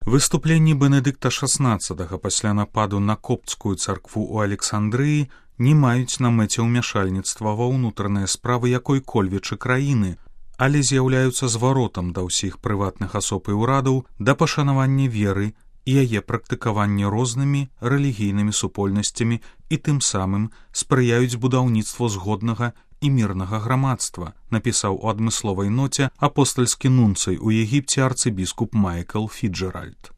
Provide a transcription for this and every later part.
Выступленні Бенедыкта XVI пасля нападу на копцкую царкву ў Александрыі не маюць на мэце ўмяшальніцтва ва ўнутраныя справы якой-кольвечы краіны, але з'яўляюцца зваротам да ўсіх прыватных асоб і ўрадаў да пашанавання веры і яе практыкавання рознымі рэлігійнымі супольнасцямі і тым самым спрыяюць будаўніцтву згоднага і мірнага грамадства, напісаў у адмысловай ноце апостальскі нунцый у Егіпце арцыбіскуп Майкл Фіджэральд.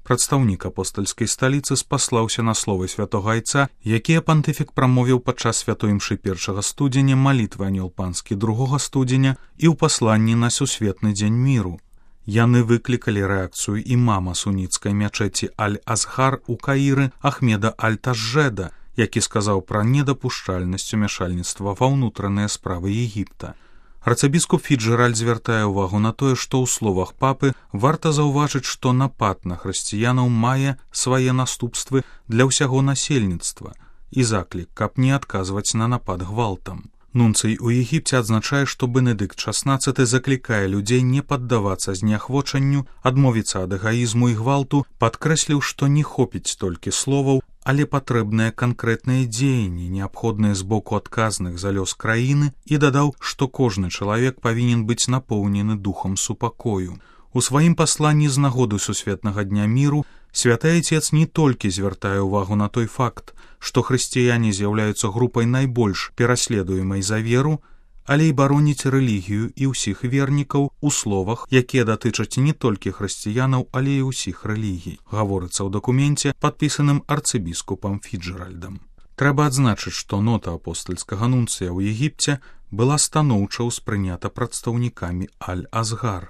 Прадстаўнік апостальскай сталіцы спаслаўся на словы святога айца, якія пантыфік прамовіў падчас святой імшы 1 студзеня, малітвы анёл панскі 2 студзеня і ў пасланні на сусветны дзень міру. Яны выклікалі рэакцыю імама суніцкай мячэці Аль-Азгар у Каіры Ахмеда Аль-Тажжеда, які сказаў пра недапушчальнасць умяшальніцтва ва ўнутраныя справы Егіпта. Арцыбіскуп Фіджэральд звяртае ўвагу на тое, што ў словах папы варта заўважыць, што напад на хрысціянаў мае свае наступствы для ўсяго насельніцтва і заклік, каб не адказваць на напад гвалтам. Нунцый у Егіпце адзначае, што Бенедыкт XVI заклікае людзей не паддавацца зняхвочанню, адмовіцца ад эгаізму і гвалту, падкрэсліў, што не хопіць толькі словаў, але патрэбныя канкрэтныя дзеянні, неабходныя з боку адказных за лёс краіны, і дадаў, што кожны чалавек павінен быць напоўнены духам супакою. У сваім пасланні з нагоды сусветнага дня міру святы айцец не толькі звяртае ўвагу на той факт, што хрысціяне з'яўляюцца групай найбольш пераследуемай за веру, але і бароніць рэлігію і ўсіх вернікаў у словах, якія датычаць не толькі хрысціянаў, але і ўсіх рэлігій, гаворыцца ў дакуменце, падпісаным арцыбіскупам Фіджэральдам. Трэба адзначыць, што нота апостальскага нунцыя ў Егіпце была станоўча ўспрынята прадстаўнікамі Аль-Азгар.